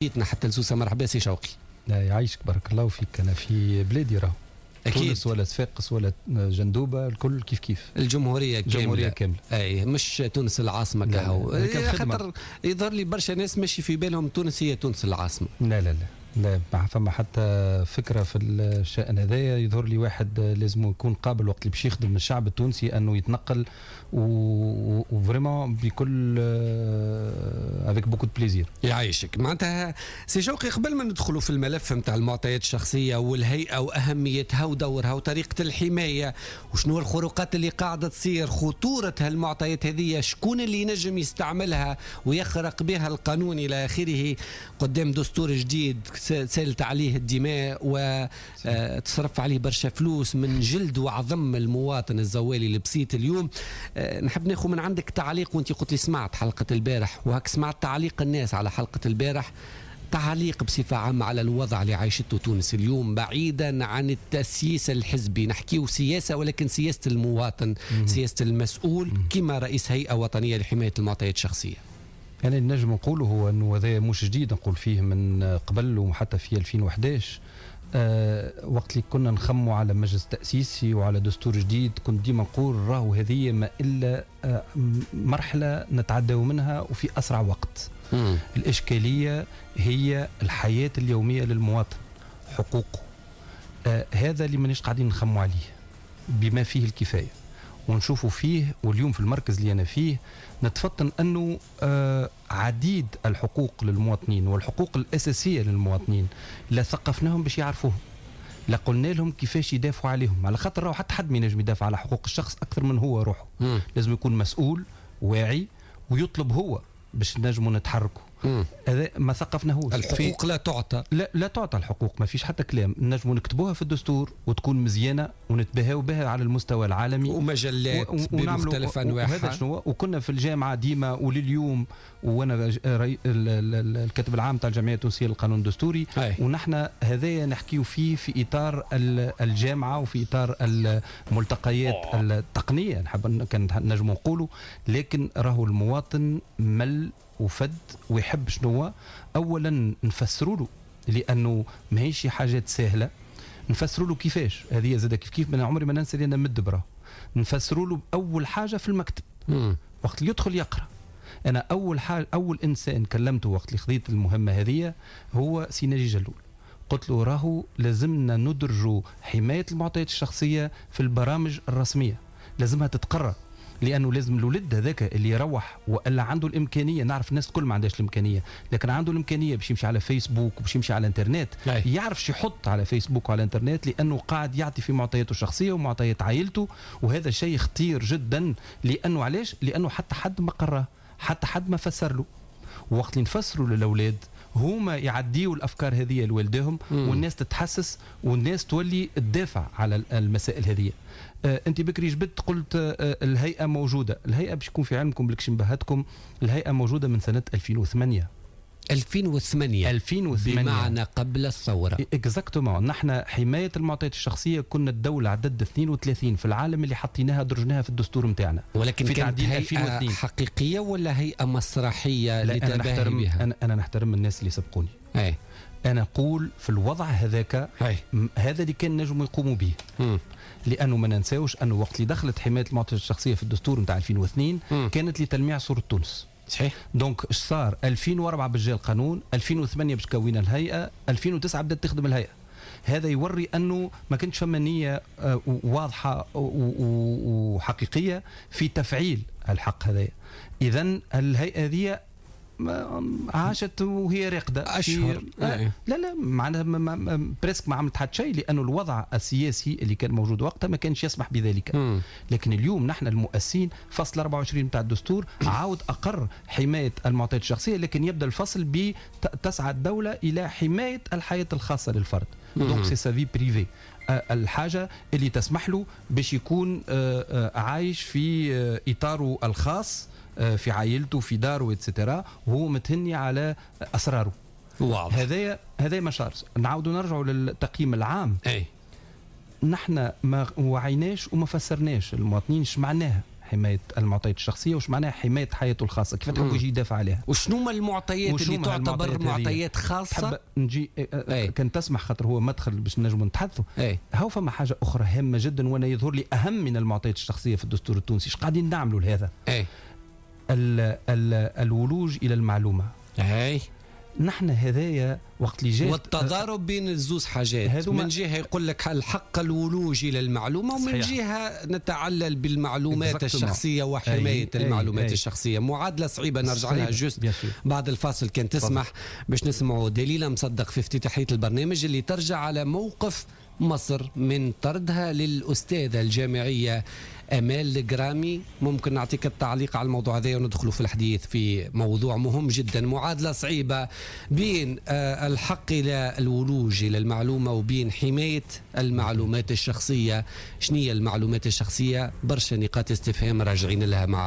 جيتنا حتى لسوسه. مرحبا سي شوقي. لا يعيشك، بارك الله فيك. انا في بلادي راهو اكيد تونس ولا صفاقس ولا جندوبه الكل كيف كيف. الجمهورية كامله. الجمهورية كامله. اي، مش تونس العاصمة كهو، خاطر يظهر لي برشا ناس ماشي في بالهم تونس هي تونس العاصمه. لا لا لا لا، ما فما حتى فكرة في الشان هذايا. يظهر لي واحد لازم يكون قابل وقت اللي باش يخدم الشعب التونسي انه يتنقل و vraiment بكل avec beaucoup de plaisir. يعيشك. معناتها سي شوقي، قبل ما ندخلوا في الملف نتاع المعطيات الشخصية والهيئة واهميتها ودورها وطريقه الحماية وشنو الخروقات اللي قاعدة تصير، خطورة هالمعطيات هذه، شكون اللي ينجم يستعملها ويخرق بها القانون الى اخره، قدام دستور جديد سالت عليه الدماء وتصرف عليه برشا فلوس من جلد وعظم المواطن الزوالي البسيط، اليوم نحب ناخذ من عندك تعليق، وانت قلت لي سمعت حلقة البارح وهك سمعت تعليق الناس على حلقة البارح، تعليق بصفة عامة على الوضع اللي عايشته تونس اليوم، بعيدا عن التسييس الحزبي، نحكيو سياسة ولكن سياسة المواطن، سياسة المسؤول كما رئيس هيئة وطنية لحماية المعطيات الشخصية. يعني نجم نقوله هو انه هذا مش جديد، نقول فيه من قبل وحتى في 2011 وقت اللي كنا نخموا على مجلس تأسيسي وعلى دستور جديد، كنت ديما نقول راهو هذه ما إلا مرحلة نتعداو منها وفي أسرع وقت. الإشكالية هي الحياة اليومية للمواطن، حقوقه، هذا اللي مانيش قاعدين نخموا عليه بما فيه الكفاية ونشوفوا فيه. واليوم في المركز اللي أنا فيه نتفطن أنه عديد الحقوق للمواطنين والحقوق الأساسية للمواطنين لا ثقفناهم باش يعرفوهم، لا قلنا لهم كيفاش يدافعوا عليهم، على خاطر راهو حتى حد ما ينجم يدافع على حقوق الشخص أكثر من هو روحه. لازم يكون مسؤول واعي ويطلب هو باش نجموا نتحركوا. هذا ما ثقفناهوش. الحقوق لا تعطى. لا، لا تعطى الحقوق، ما فيش حتى كلام. نجموا نكتبوها في الدستور وتكون مزيانه ونتباهوا بها على المستوى العالمي ومجلات بمختلف انواعها. وهذا شنو، وكنا في الجامعة ديما ولليوم، وانا الكاتب العام تاع الجمعية التونسية للقانون الدستوري. ونحن هذايا نحكيو فيه في اطار الجامعة وفي اطار الملتقيات التقنيه، نحب كان نجموا نقولوا، لكن راهو المواطن مل وفد ويحب شنو؟ اولا نفسروا له، لانه ماهيش حاجات سهله، نفسروا له كيفاش هذه زاد كيف كيف. من عمري ما ننسى اللي انا مدبره، نفسروا له اول حاجة في المكتب. وقت اللي يدخل يقرا. انا اول حاجه، اول انسان كلمته وقت اللي خذيت المهمة هذه هو سي ناجي جلول. قلت له راهو لازمنا ندرجوا حماية المعطيات الشخصية في البرامج الرسميه، لازمها تتقرر، لانه لازم الولد هذاك اللي يروح والا عنده الامكانيه، نعرف الناس الكل ما عندهاش الامكانيه، لكن عنده الامكانية باش يمشي على فيسبوك وباش يمشي على الانترنت، يعرف شو يحط على فيسبوك وعلى الانترنت، لانه قاعد يعطي في معطياته الشخصية ومعطيات عائلته، وهذا شيء خطير جدا. لانه علاش؟ لانه حتى حد ما قراه، حتى حد ما فسر له. وقت اللي نفسروا للاولاد هما يعديوا الافكار هذه لوالديهم، والناس تتحسس والناس تولي تدافع على المسائل هذه. انت بكري جبدت قلت الهيئة موجوده. الهيئة باش يكون في علمكم بالكش نبهتكم، الهيئة موجودة من سنة 2008. 2008. 2008. بمعنى قبل الثورة. exactement. نحن حماية المعطيات الشخصية كنا الدولة عدد 32 في العالم اللي حطيناها درجناها في الدستور نتاعنا. ولكن في كانت تعديل هيئة 2002. حقيقية ولا هيئة مسرحية؟ لا، أنا لتباهي نحترم بها. أنا نحترم الناس اللي سبقوني. أنا نقول في الوضع هذاك هذا اللي كان نجموا يقوموا به. لأنه ما ننساوش أنه وقت اللي دخلت حماية المعطيات الشخصية في الدستور نتاع 2002 كانت لتلميع صورة تونس. Donc اش صار؟ 2004 باش جا القانون، 2008 باش كوينا الهيئة، 2009 بدات تخدم الهيئة. هذا يوري أنه ما كانش فما نية واضحة وحقيقية في تفعيل الحق هذايا. إذن الهيئة هذه عاشت وهي راقدة أشهر. لا لا، معناها presque ما عملت حتى شيء، لأنه الوضع السياسي اللي كان موجود وقتها ما كانش يسمح بذلك. لكن اليوم نحن المؤسسين فصل 24 بتاع الدستور عاود أقر حماية المعطيات الشخصية، لكن يبدأ الفصل تسعى الدولة إلى حماية الحياة الخاصة للفرد. donc c'est sa vie privée، الحاجة اللي تسمح له باش يكون عايش في إطاره الخاص، في عائلته، في داره، et cetera، وهو متهني على اسراره. هذايا ما صارش. نعاودوا نرجعوا للتقييم العام. نحن ما وعيناش وما فسرناش المواطنين اش معناها حماية المعطيات الشخصية، وش معناها حماية حياته الخاصة، كيف تحب يجي يدافع عليها، وشنو هما المعطيات اللي تعتبر معطيات خاصة. نجي كان تسمح، خاطر هو مدخل باش نجموا نتحدثوا. هاو فما حاجة اخرى هامة جدا، وانا يظهر لي اهم من المعطيات الشخصية في الدستور التونسي. ايش قاعدين نعملوا لهذا؟ ال ال الولوج الى المعلومة. نحن هذايا وقت اللي جات والتضارب بين الزوز حاجات، من جهة يقول لك الحق الولوج الى المعلومه، ومن جهة نتعلل بالمعلومات الشخصية وحماية المعلومات الشخصيه. معادلة صعيبه، نرجع لها juste بعد الفاصل كان تسمح، باش نسمعوا دليله مصدق في افتتاحيه البرنامج اللي ترجع على موقف مصر من طردها للأستاذة الجامعية أمال الجرامي. ممكن نعطيك التعليق على الموضوع هذا وندخل في الحديث في موضوع مهم جدا، معادلة صعيبة بين الحق إلى الولوج إلى المعلومة وبين حماية المعلومات الشخصية. شنية المعلومات الشخصية؟ برشا نقاط استفهام راجعين لها مع